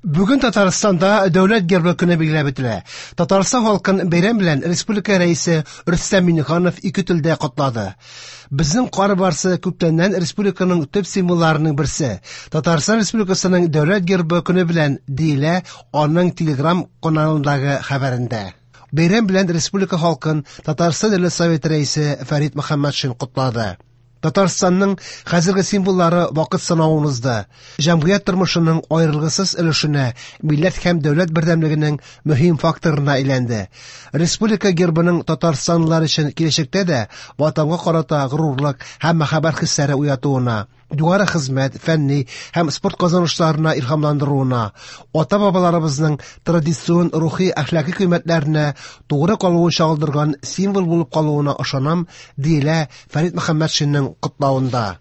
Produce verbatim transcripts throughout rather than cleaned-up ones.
Бүген Татарстанда Дәүләт гербы көне билгеләп үтелә. Татарстан халкын бәйрәм белән республика рәисе Рөстәм Миңнеханов ике телдә котлады. Безнең кар барсы күптәннән республиканың төп символларының берсе. Татарстан Республикасының Дәүләт гербы көне белән, диелә аның Телеграм каналындагы хәбәрендә. Бәйрәм белән республика халкын Татарстан Дәүләт Советы рәисе Фәрит Мөхәммәтшин котлады. Татарстанның хәзерге символлары вакыт сынавын узды. Җәмгыять тормышының аерылгысыз өлешенә, милләт һәм дәүләт бердәмлегенең мөһим факторына әйләнде. Республика гербының татарстанлылар өчен киләчәктә дә ватанга карата горурлык һәм мәхәббәт хисләре уятуына, югары хезмәт, фәнни һәм спорт казанышларына илһамландыруына, ата-бабаларыбызның традицион рухи әхлаки кыйммәтләренә тугры калуын чагылдырган символ булып калуына ышанам, диелә Фәрит Мөхәммәтшинның котлавында.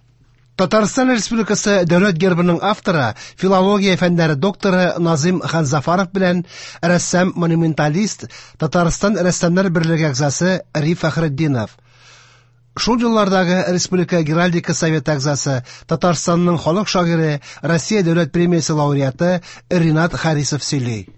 Татарстан Республикасы Дәүләт гербының авторы, филология фәннәре докторы Назыйм Ханзафаров белән рәссам-монументалист, Татарстан рәссамнар берлеге әгъзасы Риф Фәхретдинов. Шул еллардагы Республика Геральдика Советы әгъзасы, Татарстанның халык шагыйре, Россия Дәүләт премиясе лауреаты Ринат Харисов сөйли.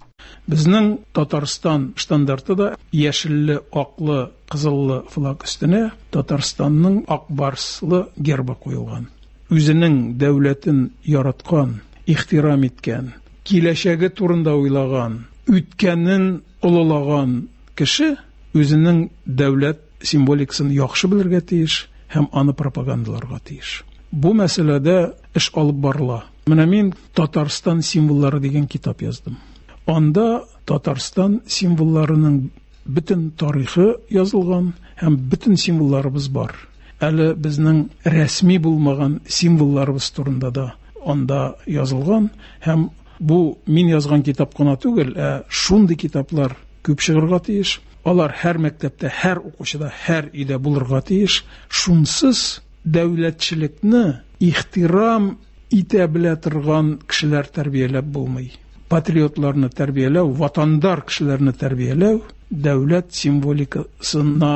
Безнең Татарстан штандарты да яшелле, аклы, кызыллы флаг өстенә Татарстанның ак барслы гербы куелган. Үзенең дәүләтен яраткан, ихтирам иткән, киләчәге турында уйлаган, үткәнен олылаган кеше үзенең дәүләт символикасын яхшы белергә тиеш һәм аны пропагандаларга тиеш. Бу мәсьәләдә эш алып барыла. Менә мин Татарстан символлары дигән китап яздым. Анда Татарстан символларының бөтен тарихы язылган һәм бөтен символларыбыз бар. Әле безнең рәсми булмаган символларыбыз турында да анда язылган һәм бу мин язган китап кына түгел, ә шундый китаплар күп чыгарга тиеш. Алар һәр мәктәптә, һәр укучыда, һәр өйдә булырга тиеш. Шунсыз дәүләтчелекне ихтирам итә белә торган кешеләр тәрбияләп булмый. Патриотларны тәрбияләү, ватандар кешеләрне тәрбияләү дәүләт символикасына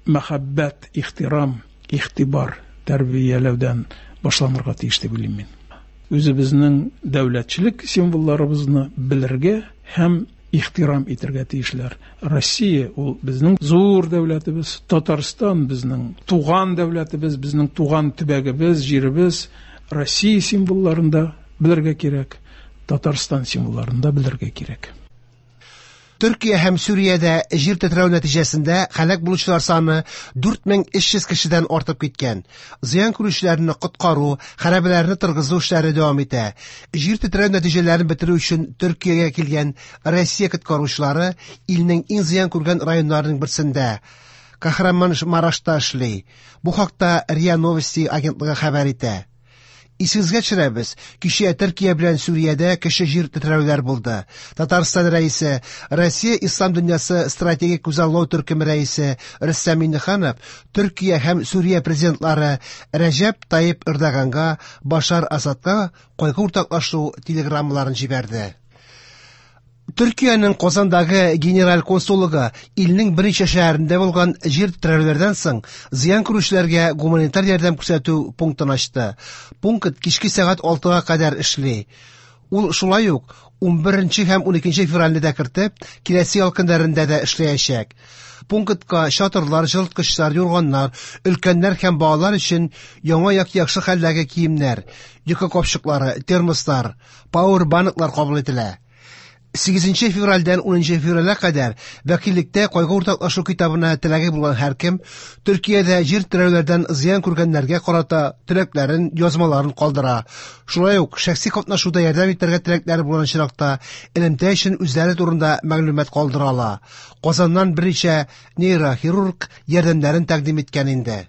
мәхәббәт, ихтирам, игътибар тәрбияләүдән башланырга тиеш дип уйлыйм мин. Үзебезнең дәүләтчелек символларыбызны белергә һәм ихтирам итәргә тиешләр. Россия ул безнең зур дәүләтебез, Татарстан безнең туган дәүләтебез, безнең туган төбәгебез, җиребез. Россия символларын да белергә кирәк, Татарстан символларын да белергә кирәк. Төркия һәм Сүриядә җир тетрәү нәтиҗәсендә һәлак булучылар саны дүрт мең өч йөз кешедән артып киткән. Зыян күрүчеләрне коткару, хәрабәләрне торгызу эшләре дәвам итә. Җир тетрәү нәтиҗәләрен бетерү өчен Төркиягә килгән Россия коткаручылары илнең иң зыян күргән районнарының берсендә, Кахраман-Марашта эшли. Бу хакта РИА Новости агентлыгы хәбәр итә. Исегезгә төшерәбез, кичә Төркия белән Сүриядә кече җир тетрәүләр булды. Татарстан рәисе, Россия Ислам дөньясы стратегик күзаллау төркеме рәисе Рөстәм Миңнеханов Төркия һәм Сүрия президентлары Рәҗәп Тайип Эрдоганга, Башар Асадка кайгы уртаклашу телеграммаларын җибәрде. Төркиянең Казандагы генераль консуллыгы илнең берничә шәһәрендә булган җир тетрәүләрдән соң зыян күрүчеләргә гуманитар ярдәм күрсәтү пунктын ачты. Пункт кичке сәгать алтыга кадәр эшли. Ул шулай ук унберенче һәм уникенче февральне дә кертеп, киләсе ял көннәрендә дә эшләячәк. Пунктка чатырлар, җылыткычлар, юрганнар, өлкәннәр һәм балалар өчен яңа яки яхшы хәлдәге киемнәр, йокы капчыклары, термослар, пауэрбанклар кабул ителә. Сигезенче февральдән унынчы февральгә кадәр вәкиллектә кайгы уртаклашу китабына теләге булган һәркем Төркиядә җир тетрәүләрдән зыян күргәннәргә карата теләкләрен, язмаларын калдыра. Шулай ук шәхси катнашуда ярдәм итәргә теләкләре булган очракта элемтә өчен үзләре турында мәгълүмат калдыра ала. Казаннан берничә нейрохирург ярдәмнәрен тәкъдим иткән инде.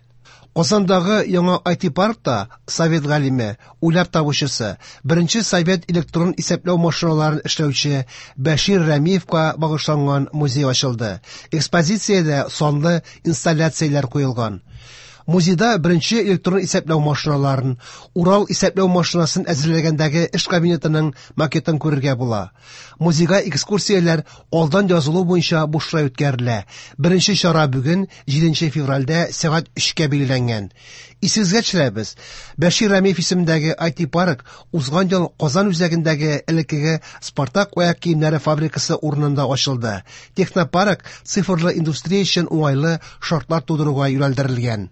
Казандагы яңа ай ти-паркта совет галиме, уйлап табучысы, беренче совет электрон исәпләү машиналарын эшләүче Бәшир Рәмиевка багышланган музей ачылды. Экспозициядә санлы инсталляцияләр куелган. Музейда беренче электрон исәпләү машиналарын, Урал исәпләү машинасын әзерләгәндәге эш кабинетының макетын күрергә була. Музейга экскурсияләр алдан язылу буенча бушлай үткәрелә. Беренче чара бүген, җиденче февральдә сәгать өчкә билгеләнгән. Исегезгә төшерәбез, Бәшир Рәмиев исемендәге ай ти-парк узган ел Казан үзәгендәге элеккеге Спартак аяк киемнәре фабрикасы урынында ачылды. Технопарк цифрлы индустрия өчен уңайлы шартлар тудыруга юнәлдерелгән.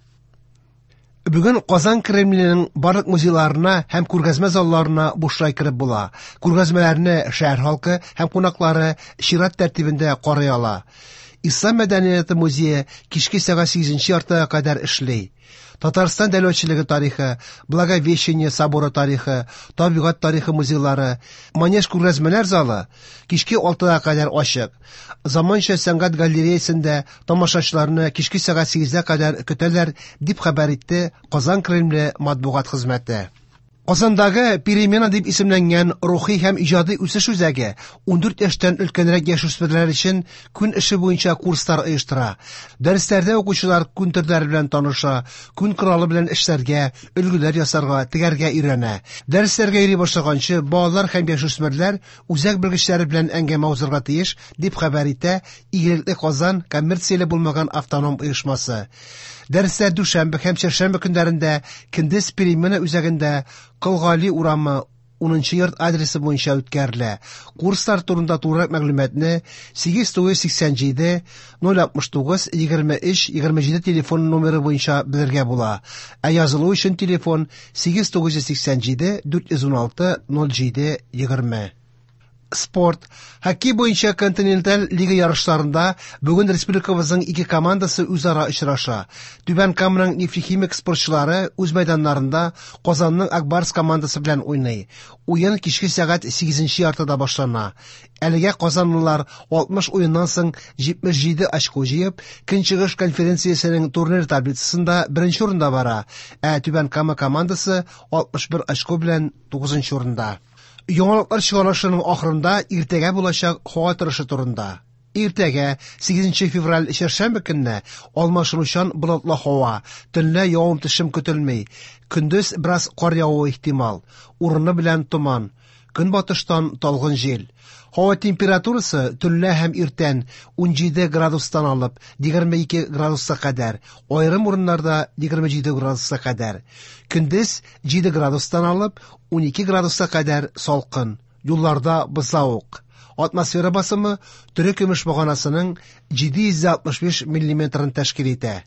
Бүген Казан Кремленең барлык музейларына һәм күргәзмә залларына бушлай кереп була. Күргәзмәләрне шәһәр халкы һәм кунаклары чират тәртибендә карый ала. Ислам мәдәнияте музее кичке сәгать сигезенче яртыга кадәр эшли. Татарстан дәүләтчелеге тарихы, Благовещение соборы тарихы, табигать тарихы музейлары, Манеж күргәзмәләр залы кичке алтыга кадәр ачык. Заманча сәнгать галереясендә тамашачыларны кичке сәгать сигезгә кадәр көтәләр, дип хәбәр итте Казан Кремле матбугат хезмәте. Казандагы Перемена дип исемләнгән рухи һәм иҗади үсеш үзәге ундүрт яшьтән өлкәнрәк яшүсмерләр өчен күн эше буенча курслар оештыра. Дәресләрдә укучылар күн төрләре белән таныша, күн коралы белән эшләргә, өлгеләр ясарга, тегәргә өйрәнә. Дәресләргә йөри башлаганчы балалар һәм яшүсмерләр үзәк белгечләре белән әңгәмә узарга тиеш, дип хәбәр итә Игелекле Казан коммерцияле булмаган автоном оешмасы. Дәресләр дүшәмбе һәм чәршәмбе көннәрендә Кендез Перемена үзәгендә Колгали урамы унынчы йорт адресы буенча үткәрелә. Курслар турында тулырак мәгълүматны сигез тугыз сиксән җиде ноль алтмыш тугыз егерме өч егерме җиде телефон номеры буенча белергә була. Ә язылу өчен телефон сигез тугыз сиксән җиде дүрт йөз уналты ноль җиде егерме. Спорт. Хоккей буенча континенталь лига ярышларында бүген республикабызның ике командасы үзара очраша. Түбән Каманың Нефтехимик спортчылары үз мәйданнарында Казанның Акбарс командасы белән уйный. Уен кичке сәгать сигезенче яртыда башлана. Әлегә казанлылар алтмыш уеннан соң җитмеш җиде очко җыеп, Көнчыгыш конференциясенең турнир таблицасында беренче урында бара, ә Түбән Кама командасы алтмыш бер очко белән тугызынчы урында. Яңалыклар чыгарылышының ахырында иртәгә булачак һава торышы турында. Иртәгә сигезенче февраль чәршәмбе көнне алмашынучан болытлы һава, төнлә явым-төшем көтелми. Көндез бераз кар явуы ихтимал, урыны белән томан, көнбатыштан талгын җил. Һава температурасы төнлә һәм иртән унҗиде градустан алып егерме ике градуска кадәр, аерым урыннарда егерме җиде градуска кадәр. Көндез җиде градустан алып унике градуска кадәр салкын, юлларда бозлавык. Атмосфера басымы тере көмеш баганасының җиде йөз алтмыш биш миллиметрын тәшкил итә.